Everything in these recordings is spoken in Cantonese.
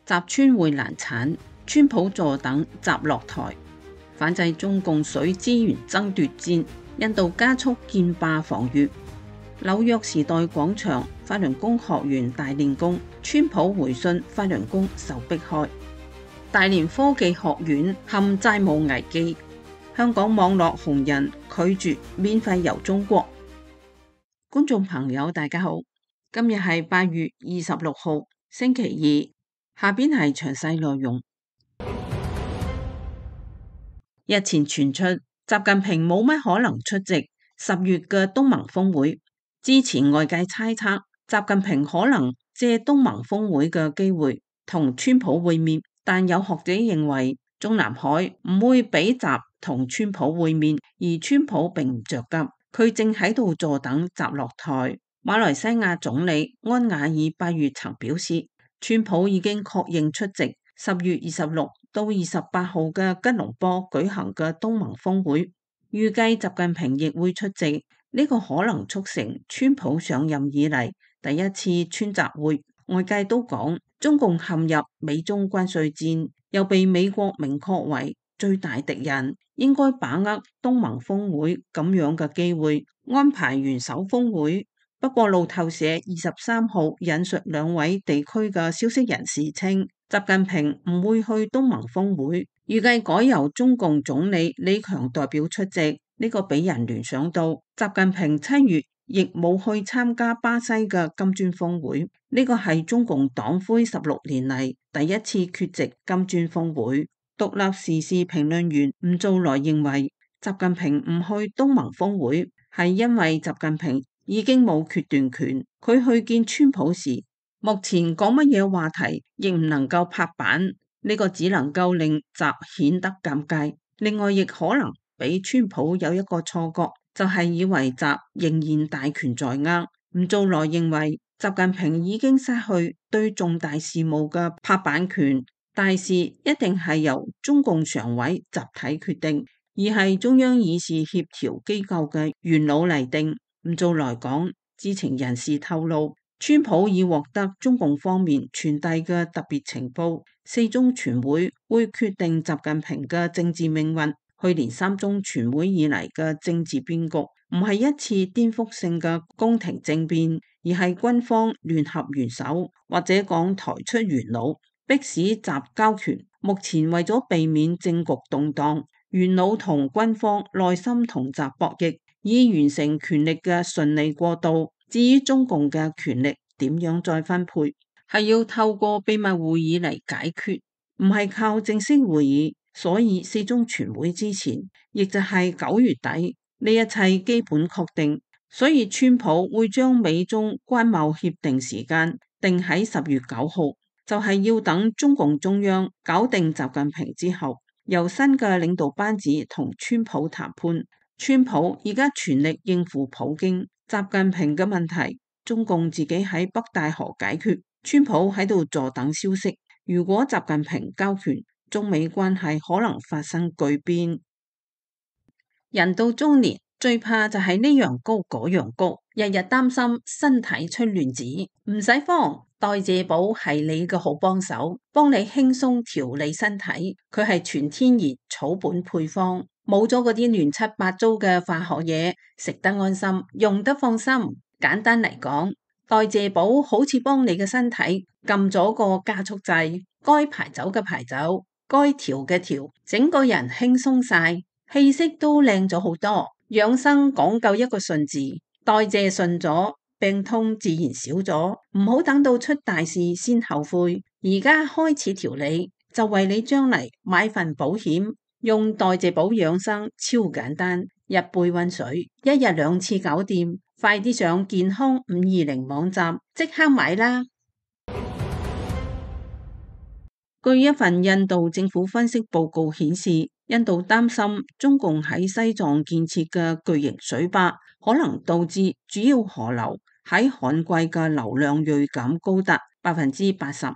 集川會難產，川普助等集落台，反制中共水資源爭奪戰。印度加速建壩防禦。紐約時代廣場法輪功學員大練功，川普回信法輪功受迫害。大連科技學院陷債務危機。香港網絡紅人拒絕免費遊中國。觀眾朋友大家好，今日係8月26號星期二，下邊係詳細內容。日前傳出習近平冇乜可能出席10月嘅東盟峰會，之前外界猜測習近平可能借東盟峰會嘅機會同川普會面，但有學者認為中南海唔會俾習同川普會面，而川普並唔着急，佢正喺度坐等習落台。馬來西亞總理安瓦爾8月曾表示，川普已經確認出席10月26到28號嘅吉隆坡舉行嘅東盟峰會，預計習近平亦會出席。呢個可能促成川普上任以嚟第一次川習會。外界都講中共陷入美中關稅戰，又被美國明確為最大敵人，應該把握東盟峰會咁樣嘅機會，安排元首峰會。不過路透社23號引述兩位地區嘅消息人士稱，習近平唔會去東盟峰會，預計改由中共總理李強代表出席。呢個俾人聯想到習近平7月亦冇去參加巴西嘅金磚峰會，呢個係中共黨魁16年嚟第一次缺席金磚峰會。獨立時事評論員吳祖來認為，習近平唔去東盟峰會係因為習近平已經冇決斷權，佢去見川普時，目前講乜嘢話題亦唔能夠拍板，呢個只能夠令習顯得尷尬。另外亦可能俾川普有一個錯覺，就係以為習仍然大權在握。吳祖來認為習近平已經失去對重大事務嘅拍板權，大事一定係由中共常委集體決定，而係中央議事協調機構嘅元老嚟定。吳祖來講，知情人士透露，川普已獲得中共方面傳遞嘅特別情報，4中全會會決定習近平嘅政治命運。去年3中全會以嚟嘅政治變局唔係一次顛覆性嘅宮廷政變，而係軍方聯合元首或者講抬出元老，迫使習交權。目前為咗避免政局動盪，元老同軍方內心同習博弈，以完成權力嘅順利過渡。至於中共嘅權力點樣再分配，係要透過秘密會議嚟解決，唔係靠正式會議。所以4中全會之前，亦就係9月底，呢一切基本確定。所以川普會將美中關貿協定時間定喺10月9號，就係要等中共中央搞定習近平之後，由新嘅領導班子同川普談判。川普而家全力應付普京、習近平嘅問題，中共自己喺北戴河解決，川普喺度坐等消息。如果習近平交權，中美關係可能發生巨變。人到中年最怕就係呢樣高嗰樣高，日日擔心身體出亂子。唔使慌，代謝寶係你嘅好幫手，幫你輕鬆調理身體。佢係全天然草本配方，冇咗嗰啲亂七八糟嘅化學嘢，食得安心，用得放心。簡單嚟講，代謝寶好似幫你嘅身體撳咗個加速掣，該排走嘅排走，該調嘅調，整個人輕鬆晒，氣色都靚咗好多。養生講究一個順字，代謝順咗，病痛自然少咗。唔好等到出大事先後悔，而家開始調理，就為你將嚟買份保險。用代謝寶養生超簡單，一杯溫水，一日2次搞掂。快啲上健康520網站，即刻買啦！據一份印度政府分析報告顯示，印度擔心中共喺西藏建設嘅巨型水壩可能導致主要河流喺旱季嘅流量銳減高達85%。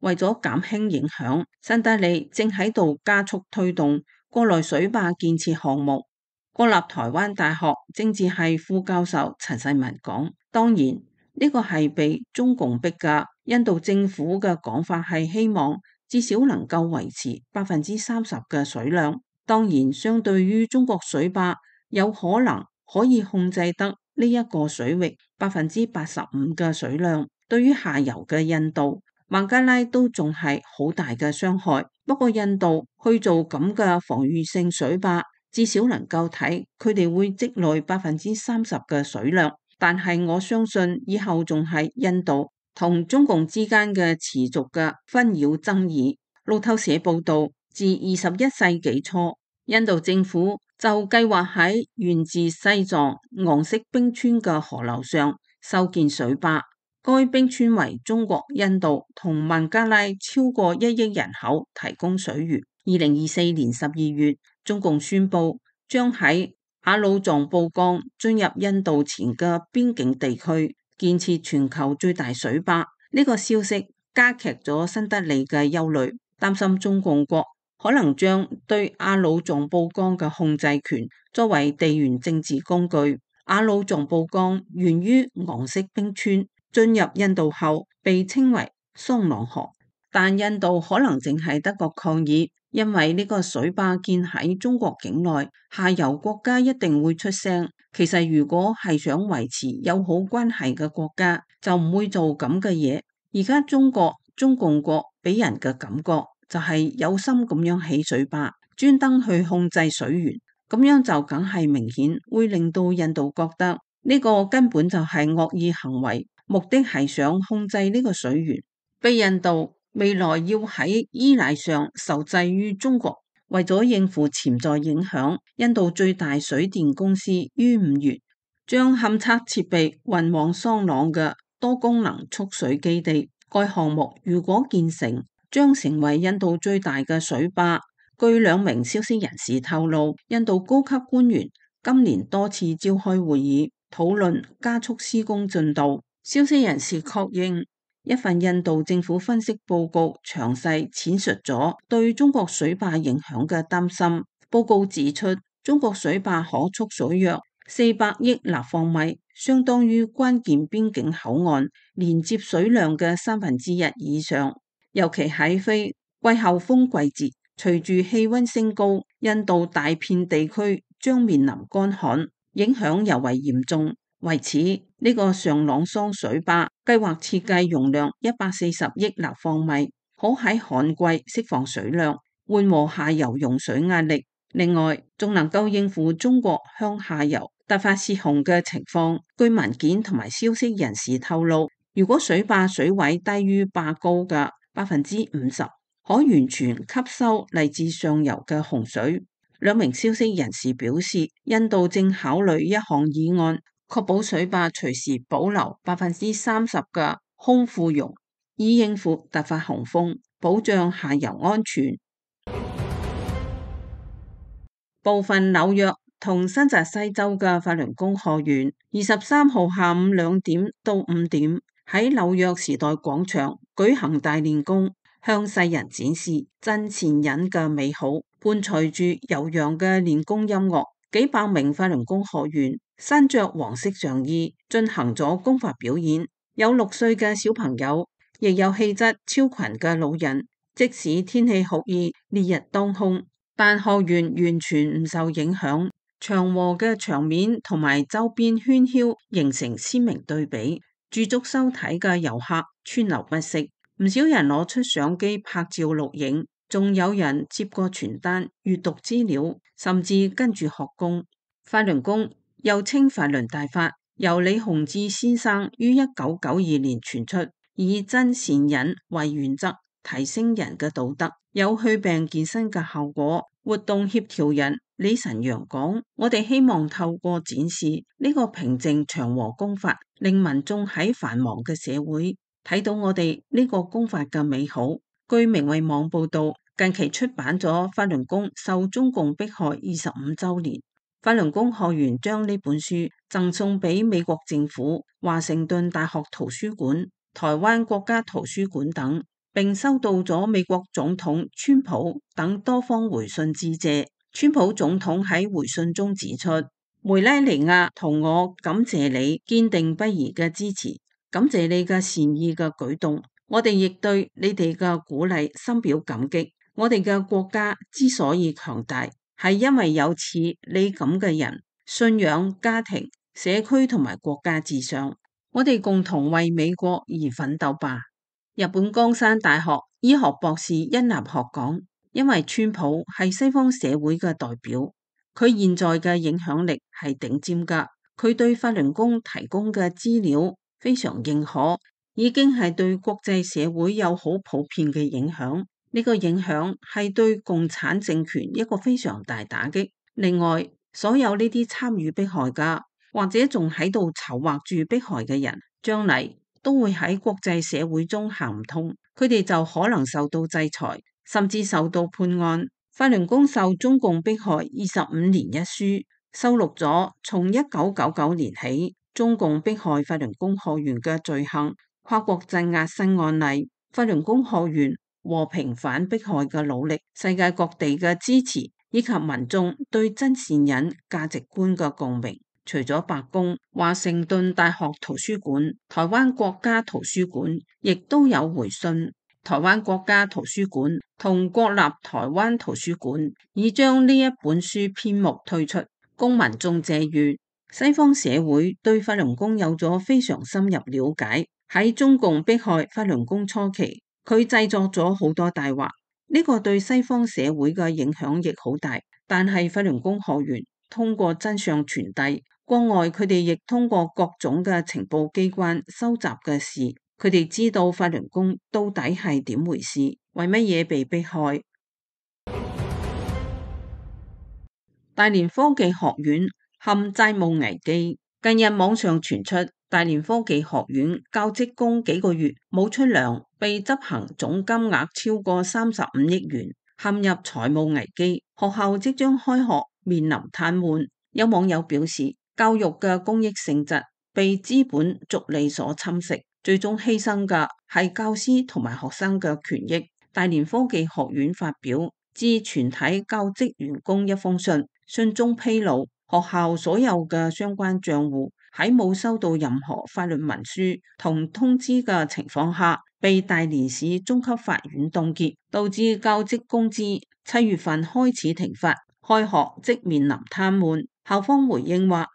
為咗減輕影響，新德里正喺度加速推動國內水壩建設項目。國立台灣大學政治系副教授陳世文講，當然呢個係被中共逼㗎，印度政府嘅講法係希望至少能夠維持30%嘅水量。當然，相對於中國水壩有可能可以控制得呢一個水域85%嘅水量，對於下游嘅印度、孟加拉都仲係好大嘅傷害。不過印度去做咁嘅防禦性水壩，至少能夠睇佢哋會積累30%嘅水量。但係我相信以後仲係印度同中共之間嘅持續嘅紛擾爭議。路透社報道，自21世紀初，印度政府就計劃喺源自西藏昂色冰川嘅河流上修建水壩。該冰川為中國、印度同孟加拉超過1億人口提供水源。2024年12月，中共宣布將喺雅魯藏布江進入印度前嘅邊境地區建設全球最大水壩。呢個消息加劇咗新德里嘅憂慮，擔心中共國可能將對雅魯藏布江嘅控制權作為地緣政治工具。雅魯藏布江源於昂色冰川，進入印度後被稱為桑朗河，但印度可能淨係得個抗議，因為呢個水壩建喺中國境內，下游國家一定會出聲。其實如果係想維持友好關係嘅國家，就唔會做咁嘅嘢。而家中共國俾人嘅感覺就係有心咁樣起水壩，專登去控制水源，咁樣就梗係明顯會令到印度覺得呢個根本就係惡意行為，目的係想控制呢個水源，被印度未來要喺依賴上受制於中國。為咗應付潛在影響，印度最大水電公司於5月將勘測設備運往桑朗嘅多功能蓄水基地。該項目如果建成，將成為印度最大嘅水壩。據2名消息人士透露，印度高級官員今年多次召開會議，討論加速施工進度。消息人士確認，一份印度政府分析報告詳細闡述咗對中國水壩影響嘅擔心。報告指出，中國水壩可蓄水約400億立方米，相當於關鍵邊境口岸連接水量嘅1/3以上。尤其喺非季候風季節，隨住氣溫升高，印度大片地區將面臨乾旱，影響尤為嚴重。為此，呢個上朗桑水壩計劃設計容量140億立方米，可喺旱季釋放水量，緩和下游用水壓力。另外，仲能夠應付中國向下游突發泄洪嘅情況。據文件同埋消息人士透露，如果水壩水位低於壩高嘅50%，可完全吸收嚟自上游嘅洪水。2名消息人士表示，印度正考慮一項議案，確保水壩隨時保留30%嘅空庫容，以應付突發洪峰，保障下游安全。部分紐約同新澤西州嘅法輪功學員23號下午2點到5點喺紐約時代廣場舉行大練功，向世人展示真善忍嘅美好，伴隨住悠揚嘅練功音樂。幾百名法輪功學員身着黃色上衣進行咗功法表演，有6歲嘅小朋友，亦有氣質超群嘅老人。即使天氣酷熱，烈日當空，但學員完全唔受影響。祥和嘅場面同埋周邊喧囂形成鮮明對比，駐足收睇嘅遊客川流不息，唔少人攞出相機拍照錄影。仲有人接過傳單閱讀資料，甚至跟住學功。法輪功又稱法輪大法，由李洪志先生於1992年傳出，以真善忍為原則，提升人嘅道德，有祛病健身嘅效果。活動協調人李晨陽講：我哋希望透過展示呢個平靜祥和功法，令民眾喺繁忙嘅社會睇到我哋呢個功法嘅美好。據明慧網報道，近期出版咗《法輪功受中共迫害25週年》，法輪功學員將呢本書贈送俾美國政府、華盛頓大學圖書館、台灣國家圖書館等，並收到咗美國總統川普等多方回信致謝。川普總統喺回信中指出，梅拉尼亞同我感謝你堅定不移嘅支持，感謝你嘅善意嘅舉動。我哋亦對你哋嘅鼓勵深表感激。我哋嘅國家之所以強大，係因為有似你咁嘅人，信仰、家庭、社區同埋國家至上。我哋共同為美國而奮鬥吧。日本江山大學醫學博士恩納學講，因為川普係西方社會嘅代表，佢現在嘅影響力係頂尖噶，佢對法輪功提供嘅資料非常認可，已經係對國際社會有好普遍嘅影響。呢個影響係對共產政權一個非常大打擊。另外，所有呢啲參與迫害噶，或者仲喺度籌劃住迫害嘅人，將嚟都會喺國際社會中行唔通，佢哋就可能受到制裁，甚至受到判案。法輪功受中共迫害25年一書收錄咗從1999年起中共迫害法輪功學員嘅罪行、跨國鎮壓新案例、法輪功學員和平反迫害嘅努力、世界各地嘅支持，以及民眾對真善忍價值觀嘅共鳴。除咗白宮、華盛頓大學圖書館、台灣國家圖書館亦都有回信。台灣國家圖書館同國立台灣圖書館已將呢一本書篇目推出，供民眾借閱。西方社會對法輪功有咗非常深入了解。喺中共迫害法輪功初期，佢製作咗好多大話，呢個對西方社會嘅影響亦好大。但係法輪功學員通過真相傳遞，國外佢哋亦通過各種嘅情報機關收集嘅事，佢哋知道法輪功到底係點回事，為乜嘢被迫害。大連科技學院陷債務危機，近日網上傳出大連科技學院教職工幾個月冇出糧，被執行總金額超過35億元，陷入財務危機，學校即將開學面臨癱瘓。有網友表示，教育嘅公益性質被資本逐利所侵蝕，最終犧牲嘅係教師同埋學生嘅權益。大連科技學院發表致全體教職員工一封信，信中披露學校所有嘅相關賬戶喺冇收到任何法律文書同通知嘅情況下，被大連市中級法院凍結，導致教職工資7月份開始停發，開學即面臨癱瘓。校方回應話，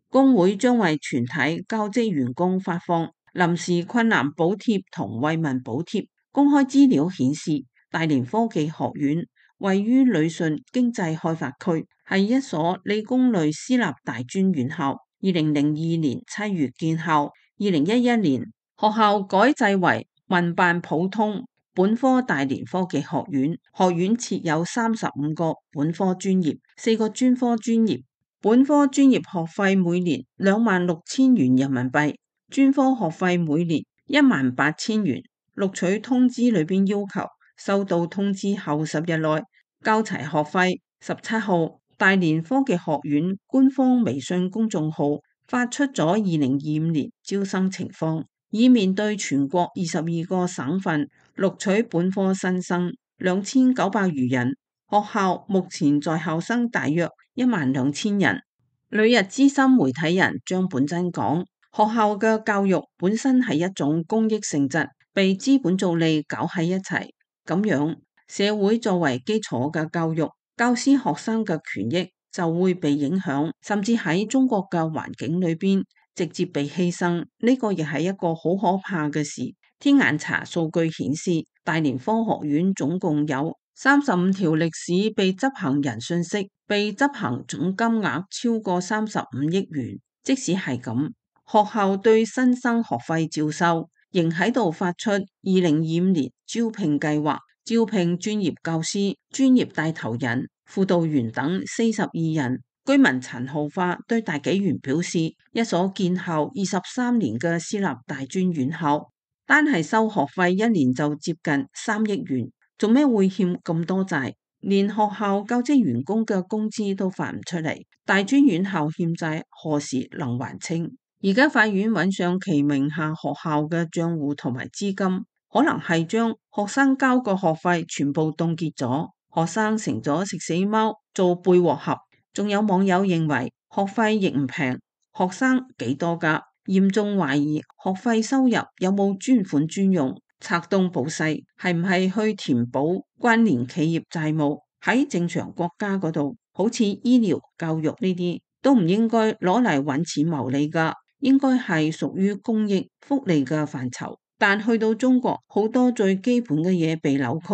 工會將為全體教職員工發放臨時困難補貼同慰問補貼。公開資料顯示，大連科技學院位於旅順經濟開發區，係一所理工類私立大專院校。2002年7月建校，2011年學校改制為民辦普通本科大連科技學院。學院設有35個本科專業，4個專科專業。本科專業學費每年26,000元人民幣，專科學費每年18,000元。錄取通知裏邊要求，收到通知後10日內交齊學費。17號，大連科技學院官方微信公眾號發出咗2025年招生情況，以面對全國22個省份錄取本科新生2900餘人。學校目前在校生大約12000人。旅日資深媒體人張本真講，學校嘅教育本身係一種公益性質，被資本逐利搞喺一齊，咁樣社會作為基礎嘅教育，教師學生嘅權益就會被影響，甚至喺中國嘅環境裏邊直接被犧牲。呢個亦係一個好可怕嘅事。天眼查數據顯示，大連科學院總共有35條歷史被執行人信息，被執行總金額超過35億元。即使係咁，學校對新生學費照收，仍喺度發出2025年招聘計劃，招聘專業教師、專業帶頭人、輔導員等42人。居民陳浩花對大紀元表示，一所建校23年嘅私立大專院校，單係收學費一年就接近3億元。做咩會欠咁多債？連學校教職員工嘅工資都發唔出嚟，大專院校欠債何時能還清？而家法院揾上其名下學校嘅賬戶同埋資金，可能係將學生交個學費全部凍結咗，學生成咗食死貓做背鑊俠。仲有網友認為學費亦唔平，學生幾多㗎？嚴重懷疑學費收入有冇專款專用。拆東補西，係唔係去填補關聯企業債務？喺正常國家嗰度，好似醫療、教育呢啲，都唔應該攞嚟揾錢牟利噶，應該係屬於公益福利嘅範疇。但去到中國，好多最基本嘅嘢被扭曲。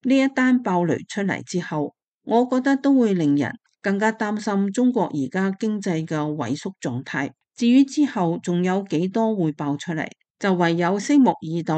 呢一單爆雷出嚟之後，我覺得都會令人更加擔心中國而家經濟嘅萎縮狀態。至於之後仲有幾多會爆出嚟，就唯有拭目以待。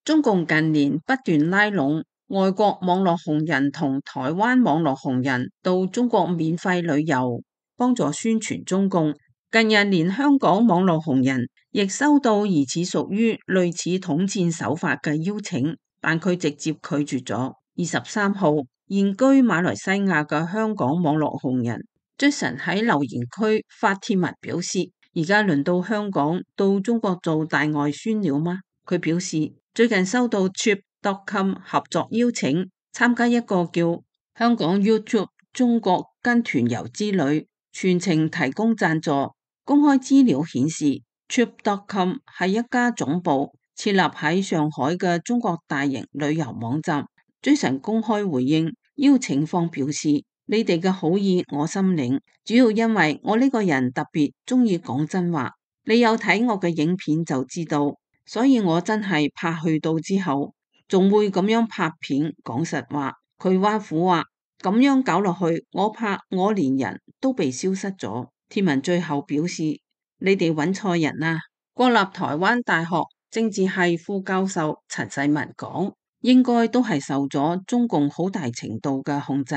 中共近年不斷拉攏外國網絡紅人同台灣網絡紅人到中國免費旅遊，幫助宣傳中共。近日連香港網絡紅人亦收到疑似屬於類似統戰手法嘅邀請，但佢直接拒絕咗。23號，現居馬來西亞嘅香港網絡紅人 Jason 喺留言區發帖文表示，而家輪到香港到中國做大外宣了嗎？佢表示最近收到 Trip.com 合作邀請，參加一個叫香港 YouTube 中國跟團遊之旅，全程提供贊助。公開資料顯示 Trip.com 係一家總部設立喺上海嘅中國大型旅遊網站。Jason 公開回應邀請方表示，你哋嘅好意我心領，主要因為我呢個人特別中意講真話，你有睇我嘅影片就知道。所以我真係怕去到之後，仲會咁樣拍片講實話。佢挖苦話咁樣搞落去，我怕我連人都被消失咗。貼文最後表示：你哋揾錯人啦！國立台灣大學政治系副教授陳世文講，應該都係受咗中共好大程度嘅控制。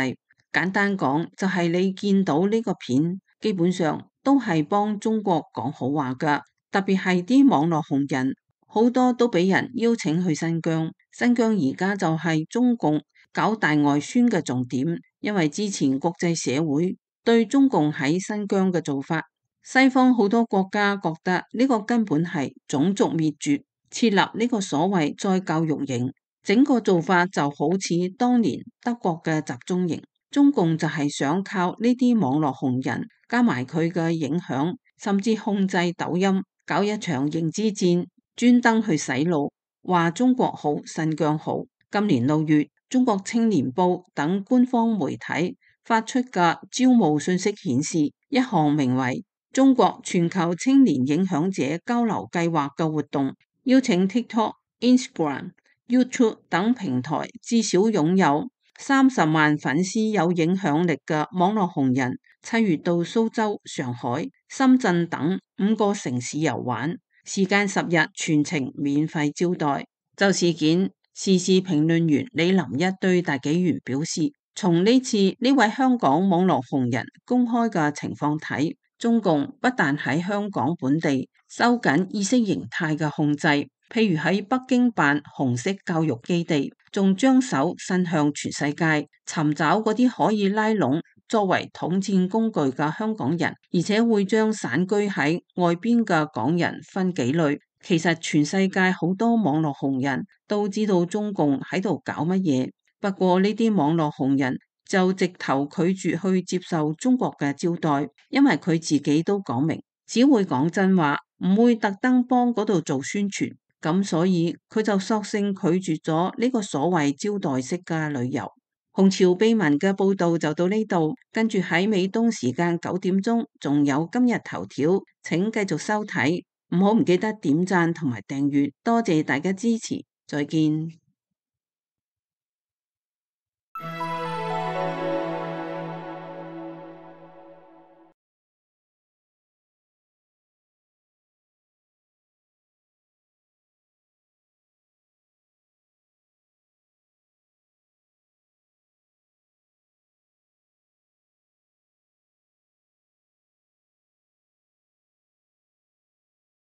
簡單講，就係你見到呢個片，基本上都係幫中國講好話㗎，特別係啲網絡紅人。好多都俾人邀請去新疆，新疆而家就係中共搞大外宣嘅重點，因為之前國際社會對中共喺新疆嘅做法，西方好多國家覺得呢個根本係種族滅絕，設立呢個所謂再教育營，整個做法就好似當年德國嘅集中營。中共就係想靠呢啲網絡紅人加埋佢嘅影響，甚至控制抖音，搞一場認知戰。專登去洗腦，話中國好，新疆好。今年6月，中國青年報等官方媒體發出嘅招募信息顯示，一項名為中國全球青年影響者交流計劃嘅活動，邀請 TikTok、Instagram、YouTube 等平台至少擁有30萬粉絲有影響力嘅網絡紅人，7月到蘇州、上海、深圳等5個城市遊玩。時間10日，全程免費招待。就事件，時事評論員李林一對大紀元表示，從呢次呢位香港網絡紅人公開嘅情況睇，中共不但喺香港本地收緊意識形態嘅控制，譬如喺北京辦紅色教育基地，仲將手伸向全世界，尋找嗰啲可以拉攏作為統戰工具嘅香港人，而且會將散居喺外邊嘅港人分幾類。其實全世界好多網絡紅人都知道中共喺度搞乜嘢，不過呢啲網絡紅人就直頭拒絕去接受中國嘅招待，因為佢自己都講明，只會講真話，唔會特登幫嗰度做宣傳，咁所以佢就索性拒絕咗呢個所謂招待式嘅旅遊。紅潮秘聞嘅報道就到呢度，跟住喺美東時間9點鐘，仲有今日頭條，請繼續收睇，唔記得點讚同埋訂閱，多謝大家支持，再見。